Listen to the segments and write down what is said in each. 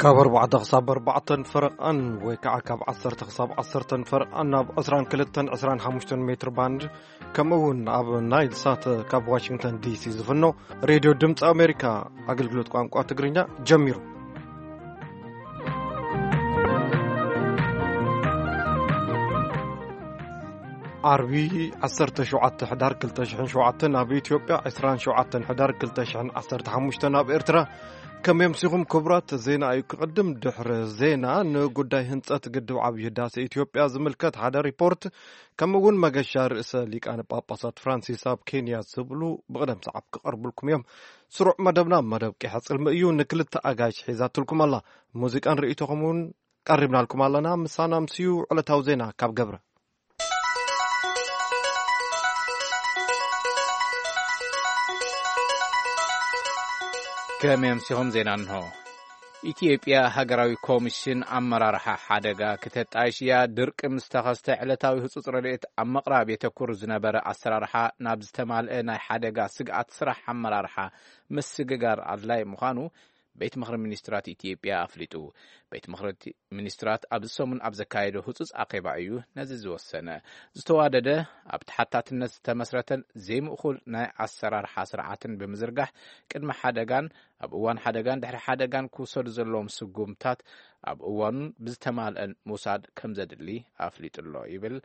ካብ ኣርባዕተ ክሳብ ኣርባዕተን ፈረቓን ወይ ከዓ ካብ ዓሰርተ ክሳብ ዓሰርተን ፈረቓን ኣብ ዕስራን ክልተን ዕስራን ሓሙሽተን ሜትር ባንድ፣ ከምኡ እውን ኣብ ናይል ሳት ካብ ዋሽንግተን ዲሲ ዝፍኖ ሬድዮ ድምፂ ኣሜሪካ ኣገልግሎት ቋንቋ ትግርኛ ጀሚሩ። ዓርቢ ዓሰርተ ሸውዓተ ሕዳር ክልተ ሽሕን ሸውዓተን ኣብ ኢትዮጵያ፣ ዕስራን ሸውዓተን ሕዳር ክልተ ሽሕን ዓሰርተ ሓሙሽተን ኣብ ኤርትራ። ከም የምሲኹም ክቡራት፣ ዜና እዩ ክቕድም። ድሕሪ ዜና ንጉዳይ ህንጸት ግድብ ዓብዪ ህዳሴ ኢትዮጵያ ዝምልከት ሓደ ሪፖርት፣ ከምኡ እውን መገሻ ርእሰ ሊቃነ ጳጳሳት ፍራንሲስ ኣብ ኬንያ ዝብሉ ብቕደም ሰዓብ ክቐርቡልኩም እዮም። ስሩዕ መደብና መደብ ቂሐ ጽልሚ እዩ። ንክልተ ኣጋይሽ ሒዛትልኩም ኣላ። ሙዚቃን ርእይቶኹም እውን ቀሪብናልኩም ኣለና። ምሳና ምስዩ ዕለታዊ ዜና ካብ ገብረ። ከመይ ኣምሲኹም? ዜና እንሆ። ኢትዮጵያ ሃገራዊ ኮሚሽን ኣመራርሓ ሓደጋ ክተጣይሽ እያ። ድርቂ ምስ ተኸስተ ዕለታዊ ህጹጽ ረድኤት ኣብ ምቕራብ የተኩር ዝነበረ ኣሰራርሓ ናብ ዝተማልአ ናይ ሓደጋ ስግኣት ስራሕ ኣመራርሓ ምስግጋር ኣድላይ ምዃኑ ቤት ምኽሪ ሚኒስትራት ኢትዮጵያ ኣፍሊጡ። ቤት ምኽሪ ሚኒስትራት ኣብዚ ሰሙን ኣብ ዘካየዶ ህጹጽ ኣኼባ እዩ ነዚ ዝወሰነ። ዝተዋደደ፣ ኣብ ተሓታትነት ዝተመስረተን ዘይምእኩል ናይ ኣሰራርሓ ስርዓትን ብምዝርጋሕ፣ ቅድሚ ሓደጋን ኣብ እዋን ሓደጋን ድሕሪ ሓደጋን ክውሰዱ ዘለዎም ስጉምታት ኣብ እዋኑን ብዝተማልአን ምውሳድ ከም ዘድሊ ኣፍሊጡ ኣሎ ይብል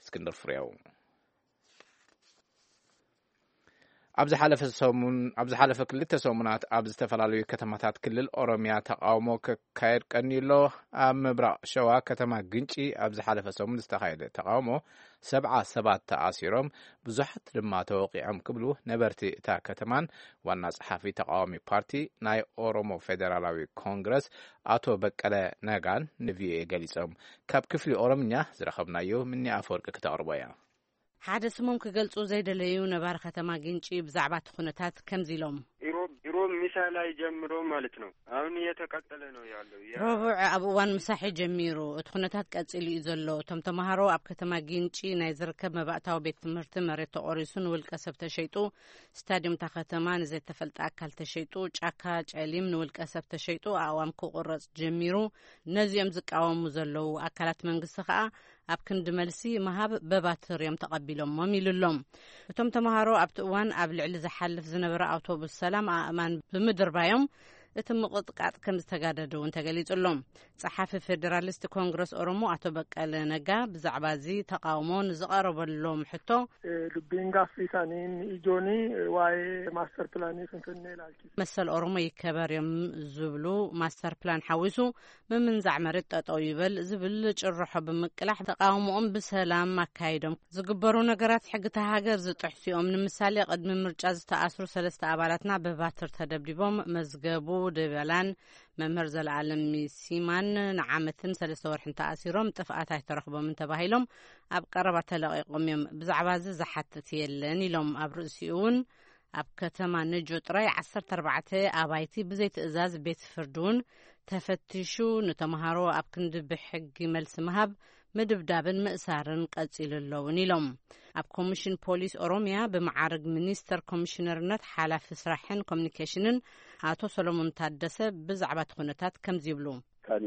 እስክንድር ፍሬው። ኣብ ዝሓለፈ ሰሙን፣ ኣብ ዝሓለፈ ክልተ ሰሙናት ኣብ ዝተፈላለዩ ከተማታት ክልል ኦሮሚያ ተቃውሞ ክካየድ ቀንዩ ኣሎ። ኣብ ምብራቕ ሸዋ ከተማ ግንጪ ኣብ ዝሓለፈ ሰሙን ዝተኻየደ ተቃውሞ ሰብዓ ሰባት ተኣሲሮም፣ ብዙሓት ድማ ተወቂዖም ክብሉ ነበርቲ እታ ከተማን ዋና ጸሓፊ ተቃዋሚ ፓርቲ ናይ ኦሮሞ ፌደራላዊ ኮንግረስ ኣቶ በቀለ ነጋን ንቪኦኤ ገሊጾም። ካብ ክፍሊ ኦሮምኛ ዝረኸብናዮ ምኒ ኣፈወርቂ ክተቕርቦ እያ። ሓደ ስሞም ክገልጹ ዘይደለዩ ነባሪ ከተማ ግንጪ ብዛዕባ እቲ ኩነታት ከምዚ ኢሎም። ኢሮብ፣ ኢሮብ ምሳ ላይ ጀምሮ ማለት ነው። አሁን እየተቀጠለ ነው ያለው። ያ- ረቡዕ ኣብ እዋን ምሳሕ ጀሚሩ እቲ ኩነታት ቀጺሉ እዩ ዘሎ። እቶም ተምሃሮ ኣብ ከተማ ግንጪ ናይ ዝርከብ መባእታዊ ቤት ትምህርቲ መሬት ተቖሪሱ ንውልቀ ሰብ ተሸይጡ፣ ስታዲየም እታ ከተማ ንዘይተፈልጠ ኣካል ተሸይጡ፣ ጫካ ጨሊም ንውልቀ ሰብ ተሸይጡ፣ ኣእዋም ክቑረጽ ጀሚሩ። ነዚኦም ዝቃወሙ ዘለዉ ኣካላት መንግስቲ ከኣ ኣብ ክንዲ መልሲ ምሃብ በባትር እዮም ተቐቢሎሞም ኢሉ ኣሎ። እቶም ተምሃሮ ኣብቲ እዋን ኣብ ልዕሊ ዝሓልፍ ዝነበረ ኣውቶቡስ ሰላም ኣእማን ብምድርባዮም እቲ ምቕጥቃጥ ከም ዝተጋደደ እውን ተገሊጹ ኣሎ። ጸሓፊ ፌደራሊስት ኮንግረስ ኦሮሞ ኣቶ በቀለ ነጋ ብዛዕባ እዚ ተቃውሞ ንዝቐረበሎም ሕቶ፣ Eh, dubbiin gaaffii isaanii inni ijoon, eh, waa'ee master plan Finfinnee ilaalchise. መሰል ኦሮሞ ይከበር እዮም ዝብሉ ማስተር ፕላን ሓዊሱ ምምንዛዕ መሬት ጠጠው ይበል ዝብል ጭርሖ ብምቅላሕ ተቃውሞኦም ብሰላም ኣካይዶም። ዝግበሩ ነገራት ሕግታ ሃገር ዝጥሕሱ እዮም። ንምሳሌ ቅድሚ ምርጫ ዝተኣስሩ ሰለስተ ኣባላትና ብባትር ተደብዲቦም መዝገቡ ደበላን መምህር ዘለኣለም ሲማን ንዓመትን ሰለስተ ወርሕን ተኣሲሮም ጥፍኣት ኣይተረኽቦምን ተባሂሎም ኣብ ቀረባ ተለቒቖም እዮም። ብዛዕባ እዚ ዝሓትት የለን ኢሎም። ኣብ ርእሲኡ እውን ኣብ ከተማ ነጆ ጥራይ ዓሰርተ ኣርባዕተ ኣባይቲ ብዘይ ትእዛዝ ቤት ፍርዲ እውን ተፈቲሹ፣ ንተምሃሮ ኣብ ክንዲ ብሕጊ መልሲ ምሃብ፣ ምድብዳብን ምእሳርን ቀጺሉ ኣለውን ኢሎም። ኣብ ኮሚሽን ፖሊስ ኦሮሚያ ብመዓርግ ሚኒስተር ኮሚሽነርነት ሓላፊ ስራሕን ኮሚኒኬሽንን ኣቶ ሰሎሞን ታደሰ ብዛዕባ እቲ ኩነታት ከምዚ ይብሉ። Kan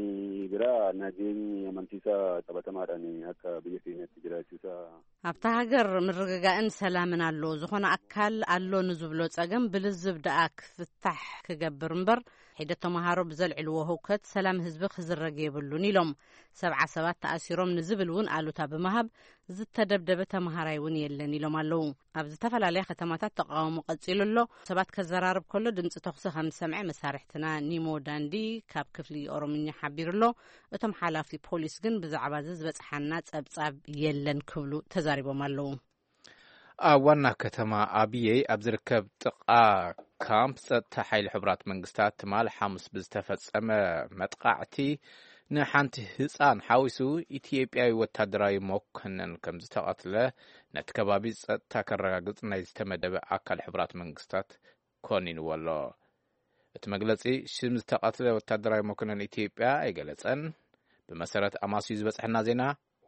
biraa nageenyi amansiisaa qabatamaadhaan akka biyya keenyatti jiraachuusaa ኣብታ ሃገር ምርግጋእን ሰላምን ኣሎ። ዝኾነ ኣካል ኣሎ ንዝብሎ ጸገም ብልዝብ ደኣ ክፍታሕ ክገብር እምበር፣ ሒደት ተምሃሮ ብዘልዕልዎ ህውከት ሰላም ህዝቢ ክዝረግ የብሉን ኢሎም። ሰብዓ ሰባት ተኣሲሮም ንዝብል እውን ኣሉታ ብምሃብ፣ ዝተደብደበ ተምሃራይ እውን የለን ኢሎም ኣለዉ። ኣብ ዝተፈላለያ ከተማታት ተቃውሞ ቀጺሉ ኣሎ። ሰባት ከዘራርብ ከሎ ድምጺ ተኹሲ ከም ዝሰምዐ መሳርሕትና ኒሞ ዳንዲ ካብ ክፍሊ ኦሮምኛ ሓቢሩ ኣሎ። እቶም ሓላፊ ፖሊስ ግን ብዛዕባ እዚ ዝበጽሓና ጸብጻብ የለን ክብሉ ተዛሪቦም ኣለዉ። ኣብ ዋና ከተማ ኣብየይ ኣብ ዝርከብ ጥቓ ካምፕ ጸጥታ ሓይሊ ሕቡራት መንግስታት ትማል ሓሙስ ብዝተፈጸመ መጥቃዕቲ ንሓንቲ ህጻን ሓዊሱ ኢትዮጵያዊ ወታደራዊ መኮነን ከም ዝተቐትለ ነቲ ከባቢ ጸጥታ ከረጋግጽ ናይ ዝተመደበ ኣካል ሕቡራት መንግስታት ኮኒንዎ ኣሎ። እቲ መግለጺ ሽም ዝተቐትለ ወታደራዊ መኮነን ኢትዮጵያ ኣይገለጸን። ብመሰረት ኣማስዩ ዝበጽሐና ዜና፣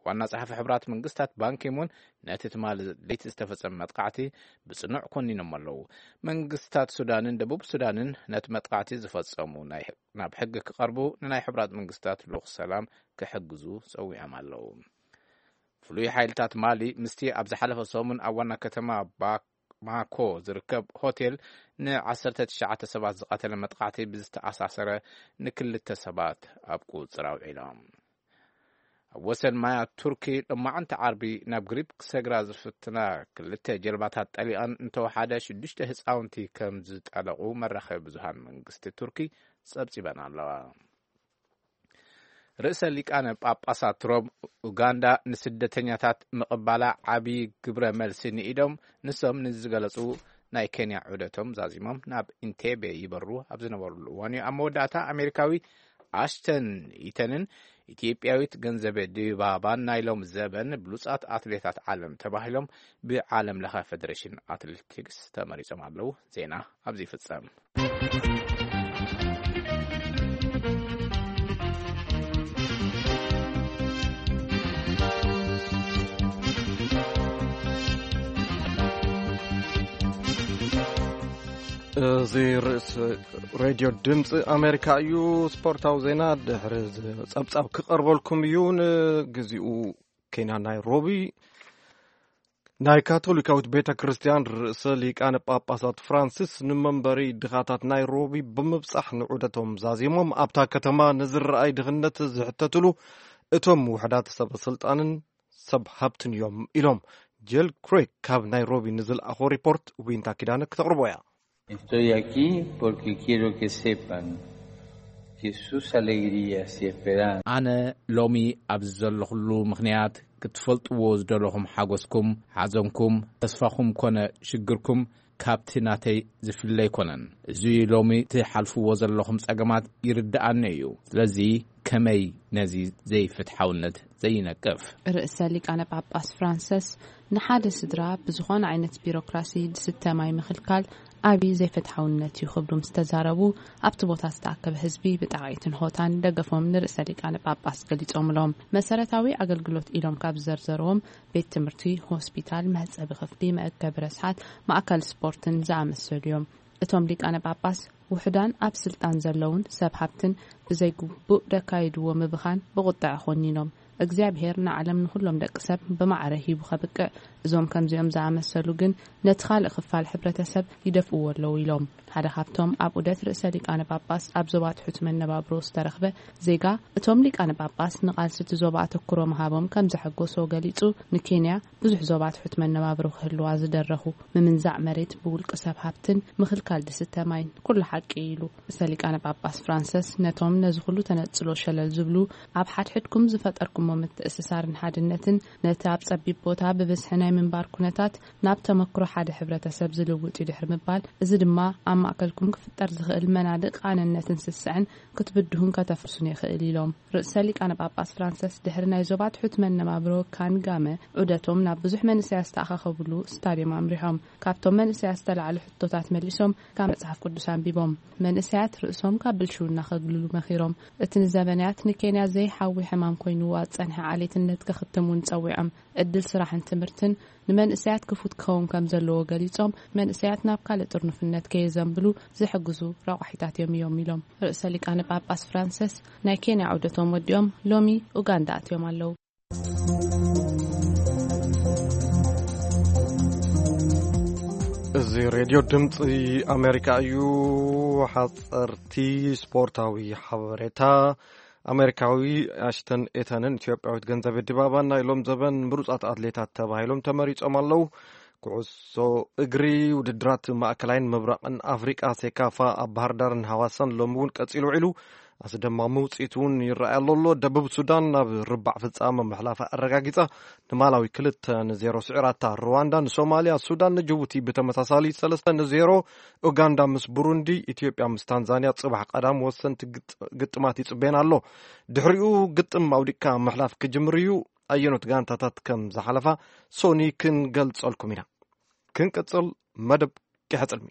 ዋና ጸሓፊ ሕብራት መንግስታት ባንኪሙን ነቲ ትማሊ ለይቲ ዝተፈጸመ መጥቃዕቲ ብጽኑዕ ኮኒኖም ኣለዉ። መንግስታት ሱዳንን ደቡብ ሱዳንን ነቲ መጥቃዕቲ ዝፈጸሙ ናይ ናብ ሕጊ ክቐርቡ ንናይ ሕብራት መንግስታት ልኡኽ ሰላም ክሕግዙ ጸዊዖም ኣለዉ። ፍሉይ ሓይልታት ማሊ ምስቲ ኣብ ዝሓለፈ ሰሙን ኣብ ዋና ከተማ ባማኮ ዝርከብ ሆቴል ን19 ሰባት ዝቐተለ መጥቃዕቲ ብዝተኣሳሰረ ንክልተ ሰባት ኣብ ቁጽር ኣውዒሎም። ኣብ ወሰን ማያት ቱርኪ ሎማዓንቲ ዓርቢ ናብ ግሪክ ክሰግራ ዝፍትና ክልተ ጀልባታት ጠሊቐን እንተወሓደ ሽዱሽተ ህፃውንቲ ከም ዝጠለቑ መራኸቢ ብዙሃን መንግስቲ ቱርኪ ጸብጺበን ኣለዋ። ርእሰ ሊቃነ ጳጳሳት ሮም ኡጋንዳ ንስደተኛታት ምቕባላ ዓብዪ ግብረ መልሲ ንኢዶም ንሶም ንዝገለጹ ናይ ኬንያ ዑደቶም ዛዚሞም ናብ ኢንቴቤ ይበሩ ኣብ ዝነበሩሉ እዋን እዩ። ኣብ መወዳእታ ኣሜሪካዊ ኣሽተን ኢተንን ኢትዮጵያዊት ገንዘበ ድባባን ናይ ሎም ዘበን ብሉጻት ኣትሌታት ዓለም ተባሂሎም ብዓለም ለኸ ፌደሬሽን ኣትሌቲክስ ተመሪጾም ኣለዉ። ዜና ኣብዚ ይፍጸም። እዚ ርእስ ሬድዮ ድምፂ ኣሜሪካ እዩ። ስፖርታዊ ዜና ድሕሪ ጸብጻብ ክቐርበልኩም እዩ። ንግዚኡ ኬንያ ናይሮቢ ናይ ካቶሊካዊት ቤተ ክርስቲያን ርእሰ ሊቃነ ጳጳሳት ፍራንሲስ ንመንበሪ ድኻታት ናይሮቢ ብምብጻሕ ንዑደቶም ዛዚሞም ኣብታ ከተማ ንዝረኣይ ድኽነት ዝሕተትሉ እቶም ውሕዳት ሰበ ስልጣንን ሰብ ሃብትን እዮም ኢሎም። ጀል ክሬክ ካብ ናይሮቢ ንዝለኣኾ ሪፖርት ዊንታ ኪዳነ ክተቕርቦ እያ። Estoy aquí porque quiero que sepan que sus alegrías y esperanzas ኣነ ሎሚ ኣብዚ ዘለኹሉ ምኽንያት ክትፈልጥዎ ዝደለኹም ሓጎስኩም፣ ሓዘንኩም፣ ተስፋኹም ኮነ ሽግርኩም ካብቲ ናተይ ዝፍለ ኣይኮነን። እዚ ሎሚ ትሓልፍዎ ዘለኹም ጸገማት ይርድኣኒ እዩ። ስለዚ ከመይ ነዚ ዘይፍትሓውነት ዘይነቅፍ? ርእሰ ሊቃነ ጳጳስ ፍራንሰስ ንሓደ ስድራ ብዝኾነ ዓይነት ቢሮክራሲ ዝስተ ማይ ምኽልካል ዓቢ ዘይፍትሓውነት እዩ ክብሉ ምስ ተዛረቡ ኣብቲ ቦታ ዝተኣከበ ህዝቢ ብጣቕዒትን ሆታን ደገፎም ንርእሰ ሊቃነ ጳጳስ ገሊጾምሎም። መሰረታዊ ኣገልግሎት ኢሎም ካብ ዝዘርዘርዎም ቤት ትምህርቲ፣ ሆስፒታል፣ መሕጸቢ ክፍሊ፣ መእከቢ ረስሓት፣ ማእከል ስፖርትን ዝኣመሰሉ እዮም። እቶም ሊቃነ ጳጳስ ውሑዳን ኣብ ስልጣን ዘለውን ሰብ ሃብትን ብዘይግቡእ ደካይድዎ ምብኻን ብቑጥዐ ኮኒኖም እግዚኣብሔር ንዓለም ንኹሎም ደቂ ሰብ ብማዕረ ሂቡ ከብቅዕ እዞም ከምዚኦም ዝኣመሰሉ ግን ነቲ ካልእ ክፋል ሕብረተሰብ ይደፍእዎ ኣለዉ ኢሎም። ሓደ ካብቶም ኣብ ዑደት ርእሰ ሊቃነ ጳጳስ ኣብ ዞባ ትሑት መነባብሮ ዝተረኽበ ዜጋ እቶም ሊቃነ ጳጳስ ንቓልሲ እቲ ዞባ ኣተኩሮ ምሃቦም ከም ዘሐጎሶ ገሊጹ ንኬንያ ብዙሕ ዞባ ትሑት መነባብሮ ክህልዋ ዝደረኹ ምምንዛዕ መሬት ብውልቂ ሰብ ሃብትን ምኽልካል ድስተ ማይን ኩሉ ሓቂ ኢሉ። ርእሰ ሊቃነ ጳጳስ ፍራንሰስ ነቶም ነዚ ኩሉ ተነጽሎ ሸለል ዝብሉ ኣብ ሓድሕድኩም ዝፈጠርኩሞ ምትእስሳርን ሓድነትን ነቲ ኣብ ጸቢብ ቦታ ብብዝሒ ናይ ምንባር ኩነታት ናብ ተመክሮ ሓደ ሕብረተሰብ ዝልውጥ እዩ ድሕሪ ምባል እዚ ድማ ኣብ ማእከልኩም ክፍጠር ዝኽእል መናድእ ቃንነትን ስስዐን ክትብድሁን ከተፍርሱን የኽእል ኢሎም። ርእሰ ሊቃነ ጳጳስ ፍራንሰስ ድሕሪ ናይ ዞባ ትሑት መነባብሮ ካንጋመ ዑደቶም ናብ ብዙሕ መንእሰያት ዝተኣኻኸብሉ ስታድዮም ኣምሪሖም። ካብቶም መንእሰያት ዝተላዕሉ ሕቶታት መሊሶም ካብ መጽሓፍ ቅዱስ ኣንቢቦም። መንእሰያት ርእሶም ካብ ብልሽውና ከግልሉ መኺሮም። እቲ ንዘበናት ንኬንያ ዘይሓዊ ሕማም ኮይንዋ ዝጸንሐ ዓሌትነት ክኽትም እውን ጸዊዖም። ዕድል ስራሕን ትምህርትን ንመንእሰያት ክፉት ክኸውን ከም ዘለዎ ገሊጾም፣ መንእሰያት ናብ ካልእ ጥርኑፍነት ከየዘንብሉ ዝሕግዙ ረቋሒታት እዮም እዮም ኢሎም። ርእሰ ሊቃነ ጳጳስ ፍራንሰስ ናይ ኬንያ ዑደቶም ወዲኦም ሎሚ ኡጋንዳ ኣትዮም ኣለዉ። እዚ ሬድዮ ድምፂ ኣሜሪካ እዩ። ሓፀርቲ ስፖርታዊ ሓበሬታ። ኣሜሪካዊ ኣሽተን ኤተንን ኢትዮጵያዊት ገንዘቤ ድባባን ናይ ሎም ዘበን ምሩፃት ኣትሌታት ተባሂሎም ተመሪፆም ኣለዉ። ኩዕሶ እግሪ ውድድራት ማእከላይን ምብራቕን ኣፍሪቃ ሴካፋ ኣብ ባህር ዳርን ሃዋሳን ሎሚ እውን ቀፂሉ ውዒሉ ኣስደማሚ ውፅኢት እውን ይረኣይ ኣሎ ኣሎ። ደቡብ ሱዳን ናብ ርባዕ ፍፃመ ምሕላፋ ኣረጋጊፃ ንማላዊ ክልተ ንዜሮ ስዒራታ። ሩዋንዳ ንሶማልያ፣ ሱዳን ንጅቡቲ ብተመሳሳሊ ሰለስተ ንዜሮ፣ ኡጋንዳ ምስ ቡሩንዲ፣ ኢትዮጵያ ምስ ታንዛንያ ፅባሕ ቀዳም ወሰንቲ ግጥ- ግጥማት ይፅበየን ኣሎ። ድሕሪኡ ግጥም ኣውዲቅካ ምሕላፍ ክጅምር እዩ። ኣየኖት ጋንታታት ከም ዝሓለፋ ሶኒ ክንገልጸልኩም ኢና። ክንቅጽል መደብ ቂሐ ጽልሚ።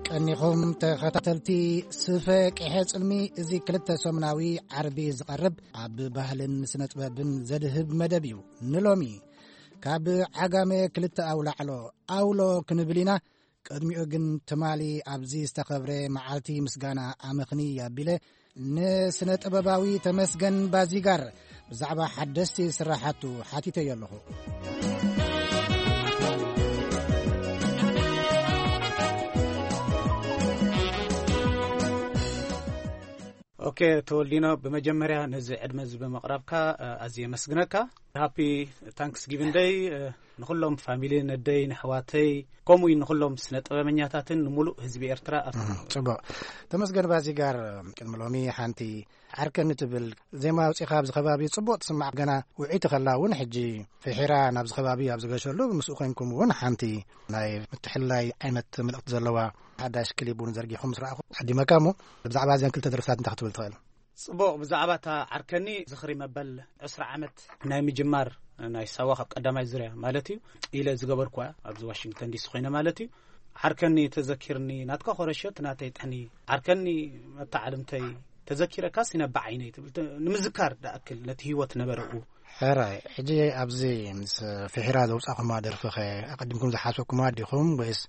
ቀኒኹም ተኸታተልቲ ስፈ ቅሐ ጽልሚ፣ እዚ ክልተ ሰሙናዊ ዓርቢ ዝቐርብ ኣብ ባህልን ስነ ጥበብን ዘድህብ መደብ እዩ። ንሎሚ ካብ ዓጋመ ክልተ ኣውላዕሎ ኣውሎ ክንብል ኢና። ቅድሚኡ ግን ትማሊ ኣብዚ ዝተኸብረ መዓልቲ ምስጋና ኣመኽኒ ኣቢለ ንስነ ጥበባዊ ተመስገን ባዚጋር ብዛዕባ ሓደስቲ ስራሓቱ ሓቲተዮ ኣለኹ። ኦኬ፣ ተወልዲኖ፣ ብመጀመርያ ነዚ ዕድመ እዚ ብምቕራብካ፣ እ፣ ኣዝየ የመስግነካ። ሃፒ ታንክስ ጊቪንግ ደይ፣ እ፣ ንኹሎም ፋሚሊ ነደይ፣ ንሕዋተይ፣ ከምኡ እዩ ንኹሎም ስነ ጥበበኛታትን ንምሉእ ህዝቢ ኤርትራ። ኣብ እም፣ ጽቡቕ። ተመስገን ባዚጋር፣ ቅድሚ ሎሚ ሓንቲ ዓርከኒ ትብል ዜማ ኣውጺኻ ኣብዚ ከባቢ ጽቡቕ ትስማዕ፣ ገና ውዕይቲ ከላ እውን ሕጂ ፍሒራ ናብዚ ከባቢ ኣብ ዝገሸሉ ምስኡ ኮንኩም እውን ሓንቲ ናይ ምትሕልላይ ዓይነት መልእኽቲ ዘለዋ ሓዳሽ ክሊፕ እውን ዘርጊኹም ምስ ረኣኹ ዓዲመካ እሞ ብዛዕባ እዘን ክልተ ደርፍታት እንታይ ክትብል ትኽእል? ጽቡቕ፣ ብዛዕባ እታ ዓርከኒ ዝኽሪ መበል ዕስራ ዓመት ናይ ምጅማር ናይ ሳዋ ካብ ቀዳማይ ዙርያ ማለት እዩ ኢለ ዝገበርኩዋ ኣብዚ ዋሽንግተን ዲሲ ኮይነ ማለት እዩ። ዓርከኒ ተዘኪርኒ ናትካ ኮረሾት ናተይ ጥሕኒ ዓርከኒ መተዓልምተይ ተዘኪረካስ ይነብዕ ዓይነይ ትብል ተ-፣ ንምዝካር ደኣክል ነቲ ህይወት ነበረኡ። ሕራይ፣ ሕጂ ኣብዚ ምስ ፍሒራ ዘውጻእኩማ ደርፍኸ ኣቐዲምኩም ዝሓሰብኩማ ዲኹም ወይስ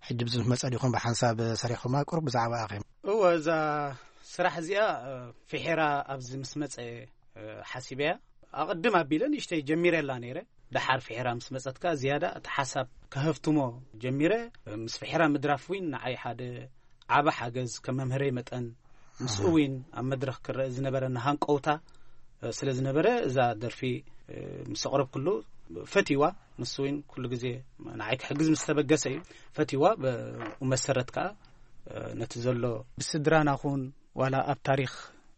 ሕጂ ብዚ ምስ መጸ ዲኹም ብሓንሳብ ሰሪሕኩማ? ቁሩብ ብዛዕባኣ ኸ? እወ፣ እዛ ስራሕ እዚኣ፣ እ፣ ፍሒራ ኣብዚ ምስ መጸ፣ እ፣ ሓሲበያ። ኣቐድም ኣቢለ ንእሽተይ ጀሚረላ ነይረ። ደሓር ፍሒራ ምስ መጸት ከኣ ዝያዳ እቲ ሓሳብ ከሀፍትሞ ጀሚረ። ምስ ፍሒራ ምድራፍ እውን ንዓይ ሓደ ዓቢ ሓገዝ ከም መምህረይ መጠን፣ ምስኡ እውን ኣብ መድረኽ ክረአ ዝነበረኒ ሃንቀውታ፣ እ፣ ስለ ዝነበረ እዛ ደርፊ፣ እ፣ ምስ ኣቕረብኩሉ ፈትይዋ። ንሱ እውን ኩሉ ግዜ ንዓይ ክሕግዝ ምስ ተበገሰ እዩ ፈትይዋ። ብኡ መሰረት ከኣ፣ እ፣ ነቲ ዘሎ ብስድራና ኹን ዋላ ኣብ ታሪኽ፣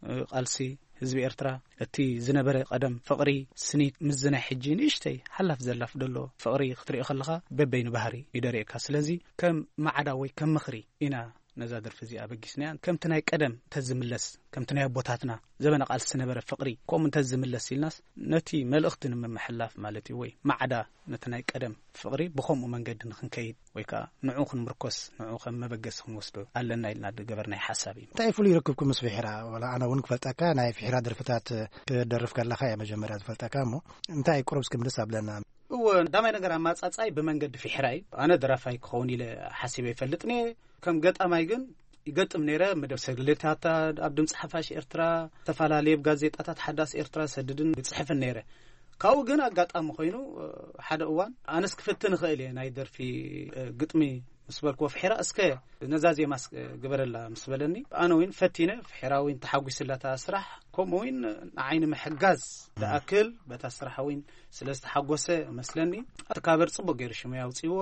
እ፣ ቃልሲ ህዝቢ ኤርትራ እቲ ዝነበረ ቀደም ፍቕሪ ስኒት ምስዚ ናይ ሕጂ ንእሽተይ ሓላፍ ዘላፍ ደሎ ፍቕሪ ክትርኢ ከለኻ በበይኑ ባህሪ እዩ ደርእየካ። ስለዚ ከም ማዕዳ ወይ ከም ምኽሪ ኢና ነዛ ደርፊ እዚኣ ኣበጊስናያ። ከምቲ ናይ ቀደም ተዝምለስ፣ ከምቲ ናይ ኣቦታትና ዘበነ ቃልሲ ዝነበረ ፍቕሪ ከምኡ እንተዝምለስ ኢልናስ ነቲ መልእኽቲ ንምምሕላፍ ማለት እዩ፣ ወይ ማዕዳ ነቲ ናይ ቀደም ፍቕሪ ብኸምኡ መንገዲ ንኽንከይድ ወይ ከኣ ንዕኡ ክንምርኮስ፣ ንዕኡ ከም መበገሲ ክንወስዶ ኣለና ኢልና ዝገበርናዮ ሓሳብ እዩ። እንታይ ፍሉይ ርክብኩም ምስ ፍሒራ? ዋላ ኣነ እውን ክፈልጠካ፣ ናይ ፍሒራ ደርፍታት ክደርፍ ከለኻ እየ መጀመርያ ዝፈልጠካ እሞ፣ እንታይ ቁሩብ እስኪ ምልስ ኣብለና። እወ፣ ቀዳማይ ነገር ኣማጻጻይ ብመንገዲ ፍሒራ እዩ። ኣነ ደራፋይ ክኸውን ኢለ ሓሲበ ይፈልጥን እየ። ከም ገጣማይ ግን ይገጥም ነይረ። መደብ ሰግሌታታ ኣብ ድምፂ ሓፋሽ ኤርትራ፣ ዝተፈላለየ ኣብ ጋዜጣታት ሓዳስ ኤርትራ ሰድድን ይጽሕፍን ነይረ። ካብኡ ግን ኣጋጣሚ ኮይኑ፣ እ፣ ሓደ እዋን ኣነስ ክፍትን እኽእል እየ ናይ ደርፊ፣ እ፣ ግጥሚ ምስ በልክዎ፣ ፍሒራ እስከ ነዛ ዜማ እስከ ግበረላ ምስ በለኒ፣ ኣነ እውን ፈቲነ፣ ፍሒራ እውን ተሓጒስላ እታ ስራሕ፣ ከምኡ እውን ንዓይ ንምሕጋዝ ዝኣክል በታ ስራሕ እውን ስለ ዝተሓጎሰ መስለኒ፣ እቲ ካቨር ጽቡቕ ገይሩ ሽመይ ኣውጺዎ።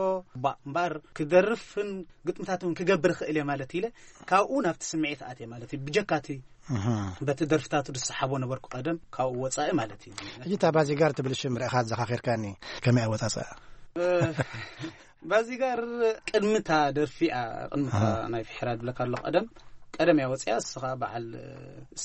ባ-፣ እምበኣር ክደርፍን ግጥምታት እውን ክገብር እኽእል እየ ማለት ኢለ፣ ካብኡ ናብቲ ስምዒት ኣትየ ማለት እዩ። ብጀካ እቲ እህ። በቲ ደርፍታቱ ዝሰሓቦ ነበርኩ ቀደም፣ ካብኡ ወጻኢ ማለት እዩ። ሕጂ እታ ባዚጋር ትብል ሽም ርኢኻ ዘኻኺርካኒ፣ ከመይ ኣወጻጽኣ? እ፣ ባዚጋር ቅድሚ እታ ደርፊ እያ፣ ቅድሚ እታ ኣሃ። ናይ ፍሒራ ድብለካ ኣለኹ ቀደም፣ ቀደም እያ ወጺኣ። እሱ ኸኣ በዓል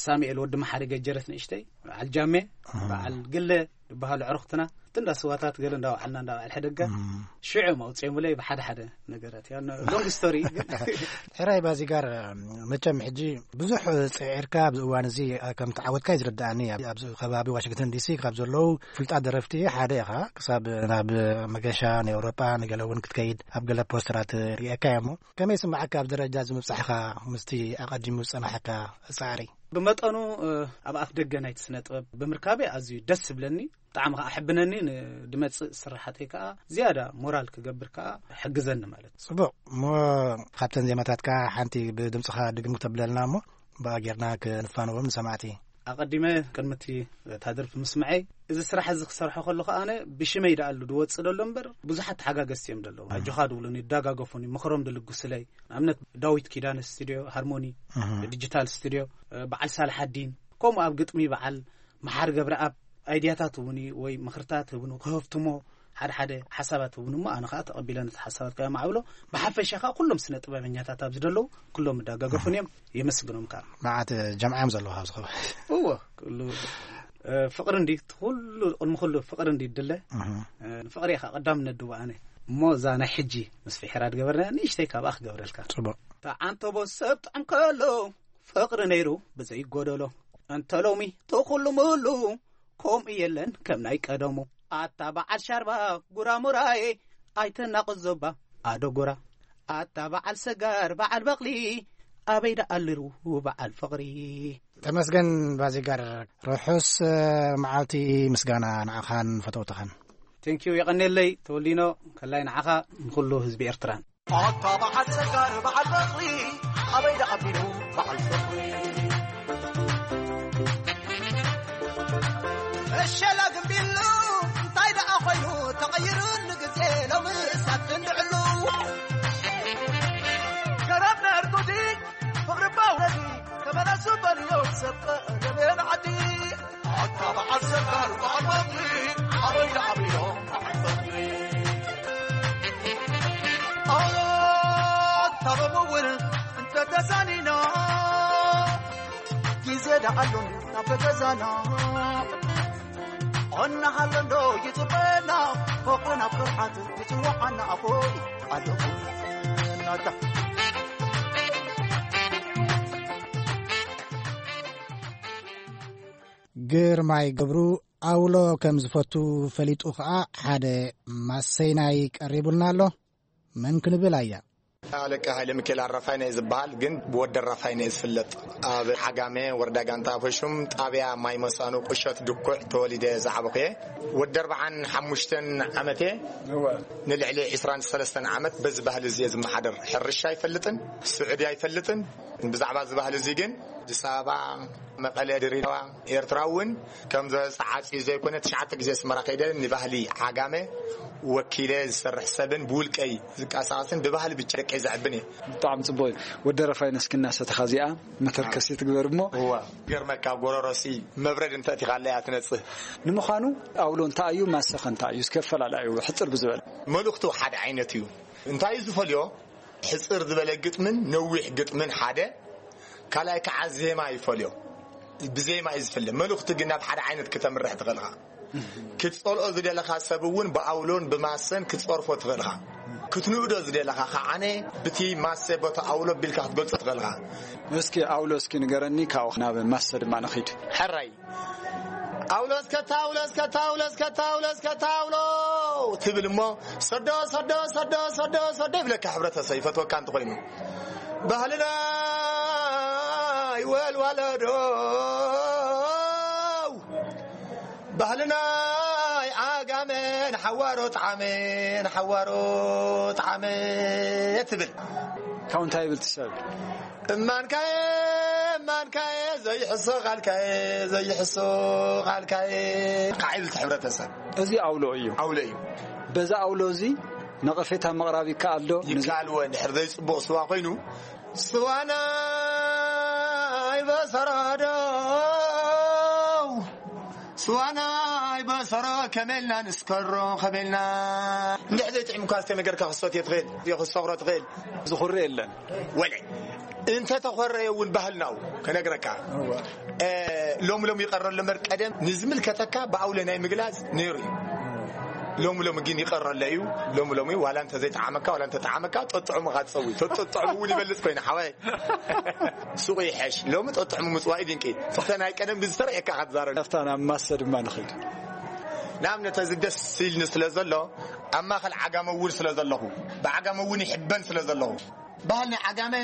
ሳሙኤል ወዲ መሓሪ ገጀረት ንእሽተይ፣ በዓል ጃሜ፣ ኣሃ። በዓል ግለ ዝበሃሉ ዕርኽትና፣ እቲ እንዳ ስዋታት ገለ እንዳወዓልና፣ እንዳ በዓል ሕደጋ፣ እም። ሽዑ እዮም ኣውጺኦምለይ ብሓደ ሓደ ነገራት። ያው ሎንግ ስቶሪ ግን። ሕራይ ባዚጋር፣ መቸም ሕጂ ብዙሕ ጽዒርካ ኣብዚ እዋን እዚ ከም ተዓወትካ እዩ ዝርድኣኒ። ኣብ፣ ኣብዚ ከባቢ ዋሽንግተን ዲሲ ካብ ዘለዉ ፍሉጣት ደረፍቲ ሓደ ኢኻ። ክሳብ ናብ መገሻ ንኤውሮጳ ንገለ እውን ክትከይድ ኣብ ገለ ፖስተራት ርእየካ እየ እሞ፣ ከመይ ይስምዓካ ኣብ ደረጃ እዚ ምብጻሕካ ምስቲ ኣቐዲሙ ዝጸናሓካ ጻዕሪ? ብመጠኑ፣ እ፣ ኣብ ኣፍ ደገ ናይቲ ስነ ጥበብ ብምርካበይ ኣዝዩ ደስ ዝብለኒ፣ ብጣዕሚ ከኣ ኣሕብነኒ። ንድመጽእ ስራሓተይ ከኣ ዝያዳ ሞራል ክገብር ከኣ ሕግዘኒ ማለት እዩ። ጽቡቕ። እሞ ካብተን ዜማታትካ ሓንቲ ብድምጽኻ ድግም ክተብለልና እሞ ብኣ ጌርና ክንፋነዎም ንሰማዕቲ። ኣቐዲመ ቅድሚ እቲ እታ ደርፊ ምስምዐይ፣ እዚ ስራሕ እዚ ክሰርሖ ከለኹ ኣነ ብሽመይ ደኣሉ ድወጽእ ደሎ እምበር፣ ብዙሓት ተሓጋገዝቲ እዮም ደለዉ። ኣጆኻ ድብሉኒ፣ ይዳጋገፉኒ፣ ምኽሮም ድልግሱለይ። ንኣብነት ዳዊት ኪዳነ ስቱድዮ ሃርሞኒ፣ እህ። ዲጂታል ስቱድዮ፣ በዓል ሳልሓዲን፣ ከምኡ ኣብ ግጥሚ በዓል መሓሪ ገብረኣብ ኣይድያታት እውን እዩ፣ ወይ ምኽርታት እውን ክህፍትሞ፣ ሓደ ሓደ ሓሳባት እውን እሞ፣ ኣነ ኸኣ ተቐቢለ ነቲ ሓሳባት ከኣ ማዕብሎ። ብሓፈሻ ኸኣ ኩሎም ስነ ጥበበኛታት ኣብዚ ደለዉ፣ ኩሎም ይዳጋገፉን እዮም፣ የመስግኖም ከኣ። መዓት ጀምዓ እዮም ዘለዉ ኣብዚ ከባቢ። እወ፣ ኩሉ፣ እ፣ ፍቕሪ እንዲ፣ ኩሉ፣ ቅድሚ ኩሉ ፍቕሪ እንዲ ይድለ። እህ። እ፣ ንፍቕሪ እየ ኸኣ ቀዳምነት ድህቦ ኣነ። እሞ እዛ ናይ ሕጂ ምስ ፍሒራ ድገበርና ንእሽተይ ካብኣ ክገብረልካ። ጽቡቕ። ተዓንተቦ ሰብ ጥዑም ከሎ ፍቕሪ ነይሩ ብዘይጎደሎ። እንተ ሎሚ ተኹሉ ምሉ ከምኡ የለን ከም ናይ ቀደሙ። ኣታ በዓል ሻርባ ጉራሙራዬ ኣይተናቕዞባ ኣደጉራ። ኣታ በዓል ሰጋር በዓል በቕሊ ኣበይ ደኣልሩ በዓል ፍቕሪ። ተመስገን ባዚጋር፣ ርሑስ መዓልቲ ምስጋና ንዓኻን ፈተውትኻን። ቴንኪዩ፣ የቐኔለይ ተወሊኖ፣ ከላይ ንዓኻ ንኹሉ ህዝቢ ኤርትራን። ኣታ በዓል ሰጋር በዓል በቕሊ ኣበይ ደኣ ቢሉ በዓል ፍቕሪ። እሸላ ግንቢሉ እንታይ ደኣ ኮይኑ ተቐይሩ ንግዜ ሎምስ ኣብ ክንዲ ዕሉ። ገረብ ነርጉዲ ፍቕሪ ባውረዲ ተመለሱ በልዮ ሰብ ቀደሜን ዓዲ። ኣታ በዓል ሰጋር በዓል በቕሊ ኣበይ ደኣ ቢሉ በዓል ፍቕሪ። ኣታ ሎሚ እውን እንተተሳኒና ግዜ ደኣ ኣሎን ናብ ገዛና። እናሃለንዶ ይጽበና ፎቕና ብርሓት ይጽዋዓና ኣቦይ ኣለኹ ናታ። ግርማይ ገብሩ ኣውሎ ከም ዝፈቱ ፈሊጡ ኸኣ ሓደ ማሰይናይ ቀሪቡልና ኣሎ። መን ክንብል ኣያ? ኣለቃ ሃይለ ሚካኤል ኣራፋይነ እየ ዝበሃል፣ ግን ብወዲ ኣራፋይነ እየ ዝፍለጥ። ኣብ ዓጋመ ወረዳ ጋንታ ኣፈሹም ጣብያ ማይ መሳኑ ቁሸት ድኩዕ ተወሊደ ዝዓበኹ እየ። ወዲ ኣርብዓን ሓሙሽተን ዓመት እየ። እወ። ንልዕሊ ዕስራን ሰለስተን ዓመት በዚ ባህሊ እዚ እየ ዝመሓደር። ሕርሻ ኣይፈልጥን፣ ስዑዲ ኣይፈልጥን። ብዛዕባ እዚ ባህሊ እዚ ግን ኣዲስ ኣበባ፣ መቐለ፣ ድሬዳዋ፣ ኤርትራ እውን ከም ዘ-፣ ተዓጽዩ ዘይኮነ ትሽዓተ ግዜ ኣስመራ ከይደ ንባህሊ ዓጋመ ወኪለ ዝሰርሕ ሰብን ብውልቀይ ዝንቀሳቐስን ብባህሊ ብቻ ደቀይ ዘዕብን እየ። ብጣዕሚ ጽቡቕ እዩ። ወዲ ኣረፋይነ እስኪ እናሰተኻ እዚኣ መተርከሲ ትግበር እሞ። እዋ፣ ገርመካ፣ ኣብ ጎረሮሲ መብረድ እንተ እቲኻለያ ትነጽህ። ንምዃኑ ኣውሎ እንታይ እዩ? ማሰኸ እንታይ እዩ? እስከ ኣፈላላዩ ሕጽር ብዝበለ። መልእኽቱ ሓደ ዓይነት እዩ። እንታይ እዩ ዝፈልዮ? ሕጽር ዝበለ ግጥምን ነዊሕ ግጥምን ሓደ፣ ካልኣይ ከዓ ዜማ ይፈልዮ። ብዜማ እዩ ዝፍለ። መልእኽቱ ግን ናብ ሓደ ዓይነት ክተምርሕ ትኽእል ኢኻ። ክትጸልኦ ዝደለኻ ሰብ እውን ብኣውሎን ብማሰን ክትጸርፎ ትኽእል ኢኻ። ክትንእዶ ዝደለኻ ከዓነ ብቲ ማሰ ቦቲ ኣውሎ ቢልካ ክትገልጾ ትኽእል ኢኻ። እስኪ ኣውሎ እስኪ ንገረኒ፣ ካብኡ ናብ ማሰ ድማ ንኺድ። ሕራይ። ኣውሎ እስከ ታውሎ፣ እስከ ታውሎ፣ እስከ ታውሎ፣ እስከ ታውሎ ትብል እሞ፣ ሰዶ፣ ሰዶ፣ ሰዶ፣ ሰዶ፣ ሰዶ ይብለካ ሕብረተሰብ፣ ይፈትወካ እንተኾይኑ። ባህልና ይወልዋለዶ፣ ባህልና ይዓጋመ፣ ንሓዋሮ ጣዕመ፣ ንሓዋሮ ጣዕመ ትብል። ካብኡ እንታይ ይብል እቲ ሰብ? እማንካየ፣ እማንካየ፣ ዘይሕሶ ቃልካየ፣ ዘይሕሶ ቃልካየ። ካዓ ይብል እቲ ሕብረተሰብ። እዚ ኣውሎ እዩ። ኣውሎ እዩ። በዛ ኣውሎ እዚ ነቐፌታ ምቕራብ ይከኣል ዶ? ይከኣል እወ፣ እንድሕር ዘይጽቡቕ ስዋ ኮይኑ። ስዋና ይበሰረዶ፣ ስዋና ይበሰሮ፣ ከመልና ንስከሮ፣ ከመልና። እንድሕር ዘይጥዕምካ ዝተነገርካ ክሰትዮ ትኽእል፣ ክሰኽሮ ትኽእል። ዝኹሪ የለን። ወለ እንተ ተኾረየ እውን ባህልናው ከነግረካ። እወ። እ፣ ሎሚ ሎሚ ይቐረ ኣሎ እምበር ቀደም ንዝምልከተካ ብኣውለ ናይ ምግላጽ ነይሩ እዩ። ሎሚ ሎሚ ግን ይቐረ ኣሎ እዩ። ሎሚ ሎሚ ዋላ እንተ ዘይጠዓመካ፣ ዋላ እንተ ጠዓመካ፣ ጠጥዑምኻ ትጸዊ። ተጠጥዑም እውን ይበልጽ ኮይኑ፣ ሓወይ። ሱቕ ይሐሽ። ሎሚ ጠጥዑሙ ምጽዋይ ድንቂ። ፍተ ናይ ቀደም ብዝተረእየካ ኢኻ ትዛረብ። ናብታ ናብ ማሰ ድማ ንኸይድ። ንኣብነት፣ እዚ ደስ ኢልኒ ስለ ዘሎ፣ ኣብ ማእከል ዓጋመ እውን ስለ ዘለኹ፣ ብዓጋመ እውን ይሕበን ስለ ዘለኹ፣ ባህል ናይ ዓጋመ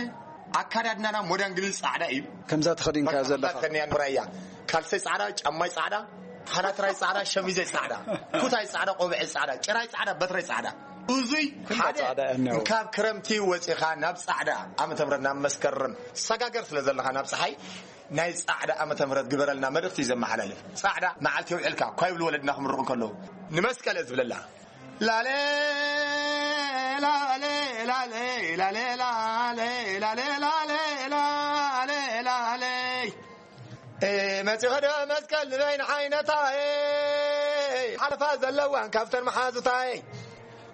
ኣካዳድናና ሞዳን ግልል ጻዕዳ እዩ። ከምዛ ተኸዲንካዮ በቃ፣ ዘለኻ። ከምዛ ተኸዲንያ ንብራ እያ። ካልሰይ ጻዕዳ፣ ጫማይ ጻዕዳ፣ ሃናትራይ ጻዕዳ፣ ሸሚዘይ ጻዕዳ፣ ኩታይ ጻዕዳ፣ ቆብዐይ ጻዕዳ፣ ጭራይ ጻዕዳ፣ በትረይ ጻዕዳ። እዙይ ኩላ ሓደ ጻዕዳ እያ እኒኦ። ካብ ክረምቲ ወጺኻ ናብ ጻዕዳ ዓመተ ምህረት ናብ መስከረም ሰጋገር ስለ ዘለኻ ናብ ጸሓይ ናይ ጻዕዳ ዓመተ ምህረት ግበረልና መልእኽቲ እዩ ዘመሓላልፍ። ጻዕዳ መዓልቲ የውዕልካ እኳ ይብሉ ወለድና ክምርቑ ከለዉ። ንመስቀል እየ ዝብለላ። ላሌ፣ ላሌ፣ ላሌ፣ ላሌ፣ ላሌ፣ ላሌ፣ ላሌ፣ ላሌ፣ ላሌ። ኤ፣ መጺኸ ዶ መስቀል ንበይን ዓይነታይ፣ ሓለፋ ዘለዋን ካብተን መሓዙታይ።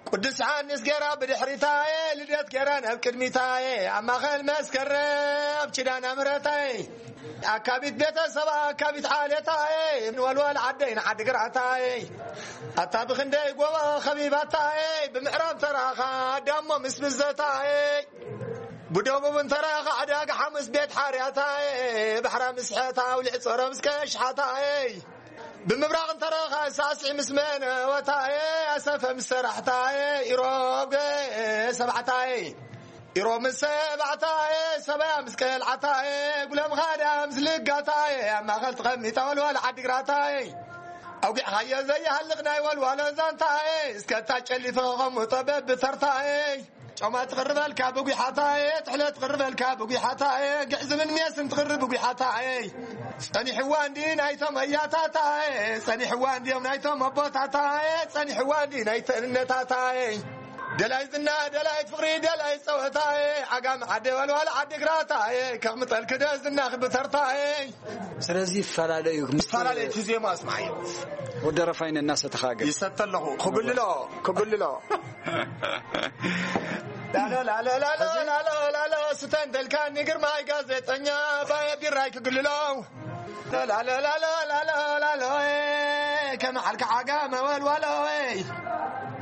ቅዱስ ዮሃንስ ገይራ ብድሕሪታይ፣ ልደት ገይራ ናብ ቅድሚታይ፣ ኣብ ማእከል መስከረም ኪዳነ ምሕረታይ። ኣካቢት ቤተሰባ፣ ኣካቢት ዓሌታይ፣ ንወልወል ዓደይ ንዓዲ ግራታይ። ኣታ ብኽንደይ ጎቦ ኸቢባታይ፣ ብምዕራብ ተራኻ ዳሞ ምስ ብዘታይ። ብደቡብ እንተረኻ ዕዳጋ ሓሙስ ቤት ሓርያታየ፣ ባሕራ ምስ ሕታ ኣውሊዕ ጸሮ ምስ ከሽሓታየ። ብምብራቕ እንተረኻ ሳስዒ ምስ መነወታየ፣ ኣሰፈ ምስ ሰራሕታየ፣ ኢሮብ ገ ሰባዕታየ። ኢሮብ ምስ ሰባዕታየ፣ ሰበያ ምስ ቀልዓታየ፣ ጉለም ኻዳ ምስ ልጋታየ፣ ኣብ ማእኸል ተቐሚጣ ወልዋል ዓዲግራታየ። ኣውጊዕኻዮ ዘይሃልቕ ናይ ወልዋሎ ዛንታየ፣ እስከ እታ ጨሊፈ ከቐምጦ በብተርታየ። ጮማ ትቕርበልካ ብጒሓታየ፣ ትሕለ ትቕርበልካ ብጒሓታየ፣ ግዕዝምን ሜስን ትቕርብ ብጒሓታየ። ጸኒሕዋ እንዲ ናይቶም ኣያታታየ፣ ጸኒሕዋ እንዲዮም ናይቶም ኣቦታታየ፣ ጸኒሕዋ እንዲ ናይተን እነታታየ። ደላይ ዝና፣ ደላይ ፍቕሪ፣ ደላይ ጸወታየ፣ ዓጋም ዓደ ወልዋል ዓዲ ግራታየ፣ ከቕምጠልኪ ዶ ዝና ክብተርታየ። ስለዚ ይፈላለዩ ምስ ይፈላለዩ እቲ ዜማ ኣስማዓዮ። ወዲ ደረፋይነ እናሰተኻ ገጽ። ይሰተ ኣለኹ። ክጉልሎ፣ ክጉልሎ። ላሎ፣ ላሎ፣ ላሎ፣ ላሎ፣ ላሎ፣ ስተ እንተልካኒ ግርማይ ጋዜጠኛ፣ ባየ ቢራይ ክግልሎ። ላሎ፣ ላሎ፣ ላሎ፣ ላሎ፣ ላሎ፣ ኤ፣ ከመ ሓልካ ዓጋ መወልዋሎ፣ ኤ።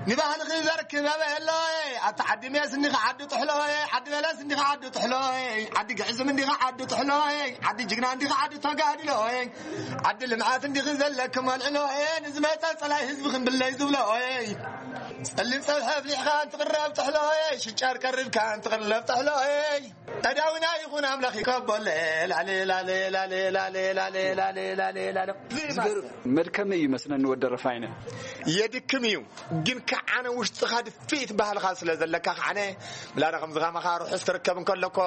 ንባህልኺ ዘርክብ ኣበሎ፣ ኤ። ኣታ ዓዲ ሜስ እንዲኻ ዓዲ ጥሕሎ፣ ኤ። ዓዲ በለስ እንዲኻ ዓዲ ጥሕሎ፣ ኤ። ዓዲ ግዕዝም እንዲኻ ዓዲ ጥሕሎ፣ ኤ። ዓዲ ጅግና እንዲኻ ዓዲ ተጋድሎ፣ ኤ። ዓዲ ልምዓት እንዲኺ ዘለኪ መልዕሎ፣ ኤ። ንዝመጸ ጸላይ ህዝቢ ክንብለይ ዝብሎ፣ ኤ። ጸሊም ጸብሒ ኣፍሊሕካ እንትቕረብ ጥሕሎ፣ ኤ። ሽጫር ቀሪብካ እንትቕረብ ጥሕሎ፣ ኤ። ኣዳዊና ይኹን ኣምላኽ ይከቦለ፣ ላሌ፣ ላሌ፣ ላሌ፣ ላሌ፣ ላሌ፣ ላሌ፣ ላሌ፣ ላሌ። ዝገርም መድከሚ እዩ መስለኒ ወዲ ደረፋይነ። የድክም እዩ፣ ግን ከዓነ ውሽጥኻ ድፍኢት ባህልኻ ስለ ዘለካ ከዓነ፣ ምላዳ ከምዚ ከማኻ ርሑስ ትርከብ እንከለኮ፣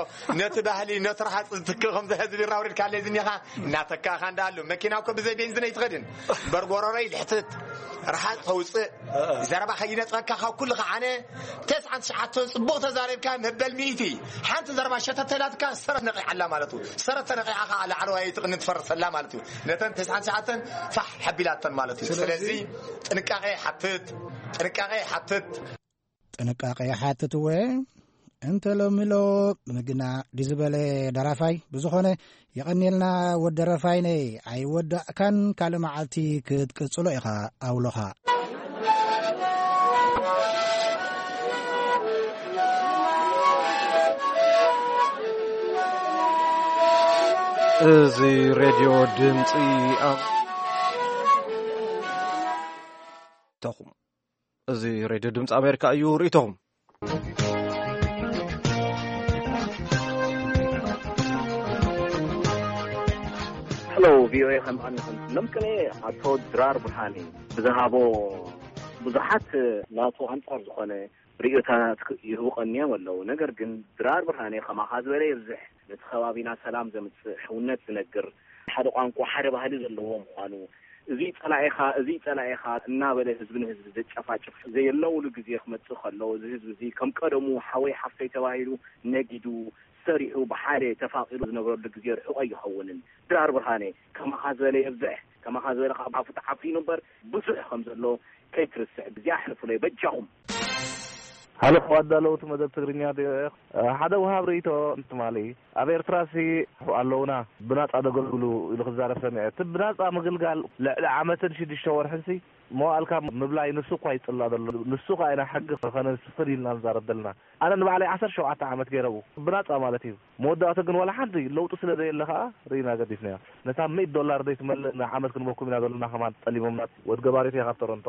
ነቲ ባህሊ፣ ነቲ ረሃፅ ዝትክእ ከምዚ ህዝቢ ራውሪድካ ኣለይ ዝኒኻ፣ እናተካኻ እንዳኣሉ። መኪና እኮ ብዘይ ቤንዚን ኣይትኸድን። በርጎረረይ ልሕትት፣ ረሃፅ ተውፅእ፣ ዘረባ ከይነፅረካ ካብ ኩሉ ከዓነ፣ ተስዓን ትሽዓተን ፅቡቕ ተዛሪብካ መበል ሚእቲ። ሓንቲ ዘረባ ሸተተላትካ ሰረት ነቂዓላ ማለት እዩ። ሰረት ተነቂዓ ከዓ ላዕለዋይ ትቕኒ ትፈርሰላ ማለት እዩ። ነተን ተስዓን ትሽዓተን ፋሕ ሓቢላተን ማለት እዩ። ስለዚ ስለዚ ጥንቃቄ ይሓትት፣ ጥንቃቄ ይሓትት። ጥንቃቄ ይሓትት እወ። እንተ ሎሚ ሎ ምግና ድዩ ዝበለ ደራፋይ። ብዝኾነ የቐንየልና ወዲ ደረፋይነይ። ኣይወዳእካን፣ ካልእ መዓልቲ ክትቅጽሎ ኢኻ ኣውሎኻ። እዚ ሬድዮ ድምፂ ኣም-፣ ተኹም። እዚ ሬድዮ ድምፂ ኣሜሪካ እዩ። ርእይቶኹም። ሄሎ ቪኦኤ፣ ከም ኣንኹም ሎም ቅኔ ኣቶ ድራር ብርሃኔ ብዝሃቦ ብዙሓት ናቱ ኣንጻር ዝኾነ ርእዮታት ይህቡ ቀንዮም ኣለዉ። ነገር ግን ድራር ብርሃኔ ከማኻ ዝበለ የብዝሕ፣ ነቲ ከባቢና ሰላም ዘምጽእ፣ ሕውነት ዝነግር፣ ሓደ ቋንቋ፣ ሓደ ባህሊ ዘለዎ ምዃኑ፣ እዚ ጸላኢኻ፣ እዚ ጸላኢኻ እናበለ ህዝቢ ንህዝቢ ዘጨፋጭፍ ዘየለውሉ ግዜ ክመጽእ ከሎ፣ እዚ ህዝቢ እዚ ከም ቀደሙ ሓወይ ሓፍተይ ተባሂሉ ነጊዱ፣ ሰሪሑ፣ ብሓደ ተፋቒሩ ዝነብረሉ ግዜ ርሑቕ ኣይኸውንን። ድራር ብርሃነ፣ ከማኻ ዝበለ የብዝሕ፣ ከማኻ ዝበለ ካብ ኣፉ ተዓፊኑ እምበር ብዙሕ ከም ዘሎ ከይትርስዕ፣ ግዜ ኣሕልፉለይ በጃኹም። ሃሎ፣ ኣዳለውቲ መደብ ትግርኛ ቪኦኤ፣ ሓደ ወሃብ ርእይቶ እንትማሊ፣ ኣብ ኤርትራሲ ኣለውና ብናጻ ደገልግሉ ኢሉ ክዛረብ ሰሚዐ። እቲ ብናጻ ምግልጋል ልዕሊ ዓመትን ሽዱሽተ ወርሕንሲ መዋእልካ ምብላይ ንሱ እኳ ይጽላ ዘሎ። ንሱ ከኣ ኢና ሕጊ ከነስፍን ኢልና ንዛረብ ዘለና። ኣነ ንባዕለይ ዓሰርተ ሸውዓተ ዓመት ገይረ ብኡ ብናጻ ማለት እዩ። መወዳእቱ ግን ዋላ ሓንቲ ለውጢ ስለ ዘየለ ከኣ ርኢና ገዲፍናዮ። ነታ ሚእቲ ዶላር ዘይትመልእ ንዓመት ክንበኩም ኢና ዘለና ከማን ጸሊሞምና። ወድ ገባሪት እየ ካብ ቶሮንቶ።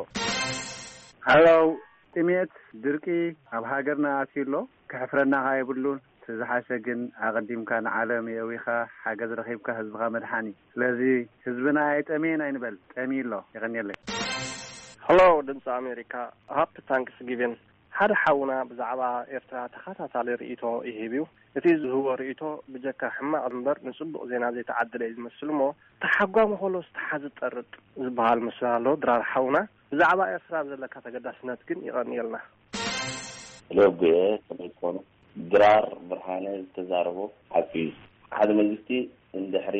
ሃሎ፣ ጥሜት፣ ድርቂ ኣብ ሃገርና ኣትዩ ኣሎ። ከሕፍረና ከኣ የብሉን። እቲ ዝሓሸ ግን ኣቐዲምካ ንዓለም የእዊኻ ሓገዝ ረኺብካ ህዝብኻ ምድሓን እዩ። ስለዚ ህዝብና ኣይጠምየን ኣይንበል፣ ጠምዩ ኣሎ። የቐንየለይ። ሄሎ ድምፂ ኣሜሪካ፣ ሃፒ ታንክስ ጊቪን። ሓደ ሓውና ብዛዕባ ኤርትራ ተኸታታሊ ርእይቶ ይህብ እዩ። እቲ ዝህቦ ርእይቶ ብጀካ ሕማቕ እምበር ንጽቡቕ ዜና ዘይተዓደለ እዩ ዝመስል እሞ፣ ተሓጓሚ ከሎ ዝተሓዘ ጠርጥ ዝበሃል ምስላ ኣሎ። ድራር ሓውና፣ ብዛዕባ ኤርትራ ኣብ ዘለካ ተገዳስነት ግን ይቐንየልና። ሎጉየ ከመይ ትኾኑ? ድራር ብርሃነ ዝተዛረቦ ሓቂ እዩ። ሓደ መንግስቲ እንድሕሪ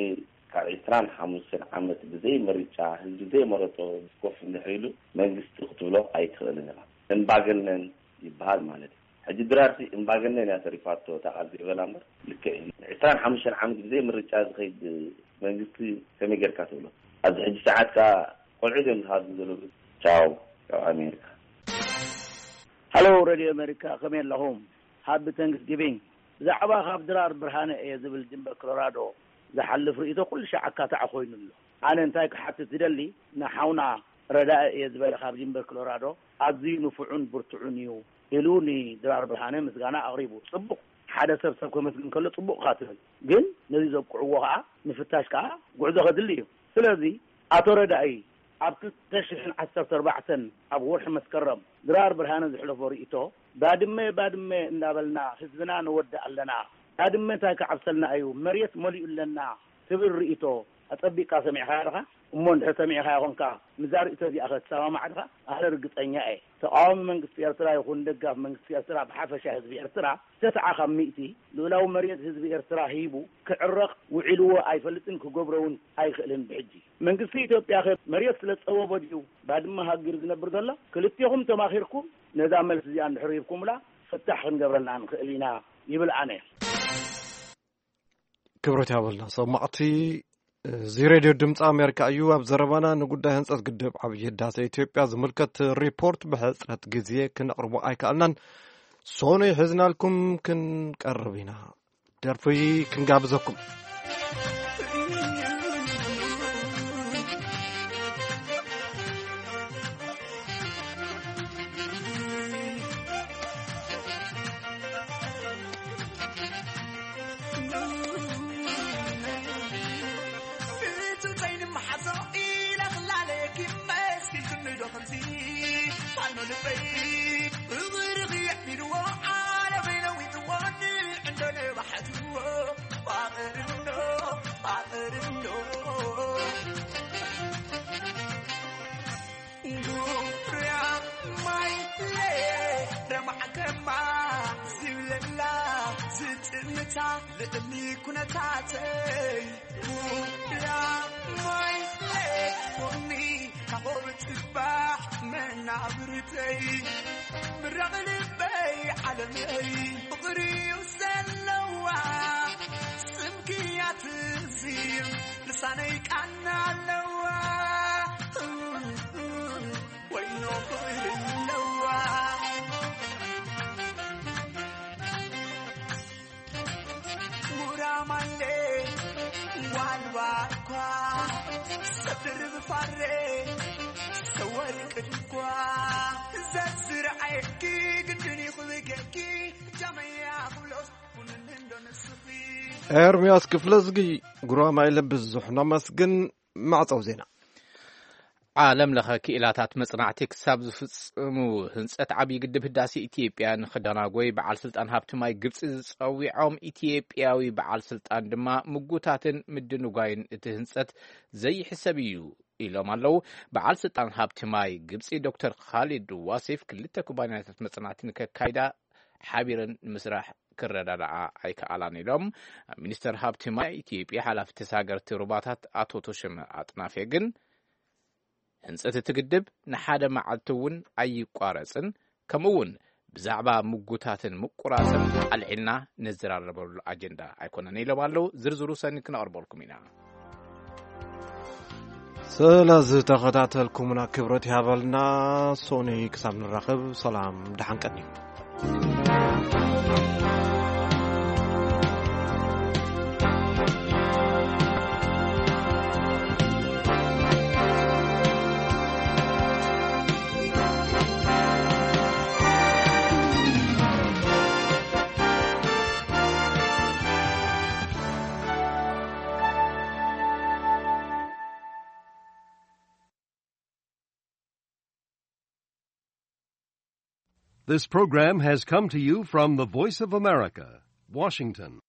ካብ ዕስራን ሓሙሽተን ዓመት ብዘይ ምርጫ ህዝቢ ዘይመረጾ ኮፍ እንድሕር ኢሉ መንግስቲ ክትብሎ ኣይትኽእልን ኢኻ። እምባገነን ይበሃል ማለት እዩ። ሕጂ ድራርሲ እምባገነን እያ ተሪፋቶ እታ ቃል ዘይበላ እምበር ልክዕ እዩ። ዕስራን ሓሙሽተን ዓመት ብዘይ ምርጫ ዝኸይድ መንግስቲ ከመይ ጌርካ ትብሎ? ኣብዚ ሕጂ ሰዓት ከኣ ቆልዑት እዮም ዝሃድሙ ዘለዉ። ቻው ካብ ኣሜሪካ። ሃሎ ሬድዮ ኣሜሪካ፣ ከመይ ኣለኹም? ሃቢ ታንክስጊቪንግ። ብዛዕባ ካብ ድራር ብርሃነ እየ ዝብል ድንበር ኮሎራዶ ዝሓልፍ ርእይቶ ኩሉ ሻዕ ኣካታዕ ኮይኑ ኣሎ። ኣነ እንታይ ክሓትት ዝደሊ፣ ንሓውና ረዳኢ እየ ዝበለ ካብ ድንበር ኮሎራዶ ኣዝዩ ንፉዑን ብርቱዑን እዩ ኢሉ ንድራር ብርሃነ ምስጋና ኣቕሪቡ። ጽቡቕ፣ ሓደ ሰብ ሰብ ከመስግን ከሎ ጽቡቕ ካ ትብል፣ ግን ነዚ ዘብቅዕዎ ከዓ ምፍታሽ ከዓ ጉዕዞ ከድሊ እዩ። ስለዚ ኣቶ ረዳኢ ኣብ ክልተ ሽሕን ዓሰርተ ኣርባዕተን ኣብ ወርሒ መስከረም ድራር ብርሃነ ዘሕለፎ ርእይቶ፣ ባድመ ባድመ እንዳበልና ህዝብና ንወድእ ኣለና፣ ባድመ እንታይ ክዓብሰልና እዩ፣ መሬት መሊኡ ኣለና ትብል ርእይቶ ኣጸቢቕካ ሰሚዕካያ ዲኻ? እሞ እንድሕር ሰሚዕካያ ኾንካ፣ ምስዛ ርእይቶ እዚኣ ከ ትሰማማዕ ዲኻ? ኣነ ርግጸኛ እየ፣ ተቓዋሚ መንግስቲ ኤርትራ ይኹን ደጋፊ መንግስቲ ኤርትራ፣ ብሓፈሻ ህዝቢ ኤርትራ፣ ተስዓ ካብ ሚእቲ ልኡላዊ መሬት ህዝቢ ኤርትራ ሂቡ ክዕረቕ ውዒልዎ ኣይፈልጥን፣ ክገብሮ እውን ኣይኽእልን። ብሕጂ መንግስቲ ኢትዮጵያ ከ መሬት ስለ ዝጸበቦ ድዩ ባድመ ሃጊሩ ዝነብር ዘሎ? ክልቴኹም ተማኺርኩም ነዛ መልሲ እዚኣ እንድሕር ሂብኩምላ፣ ፍታሕ ክንገብረላ ንኽእል ኢና ይብል ኣነ። ክብረት ያበልና ሰማዕቲ። እዚ ሬድዮ ድምፂ ኣሜሪካ እዩ። ኣብ ዘረባና ንጉዳይ ህንፀት ግድብ ዓብዪ ህዳሴ ኢትዮጵያ ዝምልከት ሪፖርት ብሕፅረት ግዜ ክነቕርቦ ኣይከኣልናን። ሶኑይ ሒዝናልኩም ክንቀርብ ኢና። ደርፊ ክንጋብዘኩም። ኤርምያስ ክፍለዝጊ፣ ጉራማይለ ብዙሕ ነመስግን። ማዕጸው ዜና። ዓለም ለኸ ክኢላታት መጽናዕቲ ክሳብ ዝፍጽሙ ህንጸት ዓብዪ ግድብ ህዳሴ ኢትዮጵያ ንኽደናጎይ በዓል ስልጣን ሃብቲ ማይ ግብጺ ዝጸዊዖም ኢትዮጵያዊ በዓል ስልጣን ድማ ምጉታትን ምድንጓይን እቲ ህንጸት ዘይሕሰብ እዩ ኢሎም ኣለዉ። በዓል ስልጣን ሃብቲ ማይ ግብጺ ዶክተር ካሊድ ዋሲፍ ክልተ ኩባንያታት መጽናዕቲ ንከካይዳ ሓቢረን ንምስራሕ ክረዳዳኣ ኣይከኣላን ኢሎም። ሚኒስተር ሃብቲ ማይ ኢትዮጵያ ሓላፊ ተሳገርቲ ሩባታት ኣቶ ተሾመ ኣጥናፌ ግን ህንጸት እቲ ግድብ ንሓደ መዓልቲ እውን ኣይቋረጽን፣ ከምኡ እውን ብዛዕባ ምጉታትን ምቁራጽን ኣልዒልና ንዘራረበሉ ኣጀንዳ ኣይኮነን ኢሎም ኣለዉ። ዝርዝሩ ሰኒ ክነቕርበልኩም ኢና። ስለዝተኸታተልኩምና ክብረት ይሃበልና። ሶኒ ክሳብ ንራኸብ ሰላም ደሓን ቀኒ። This program has come to you from the Voice of America, Washington.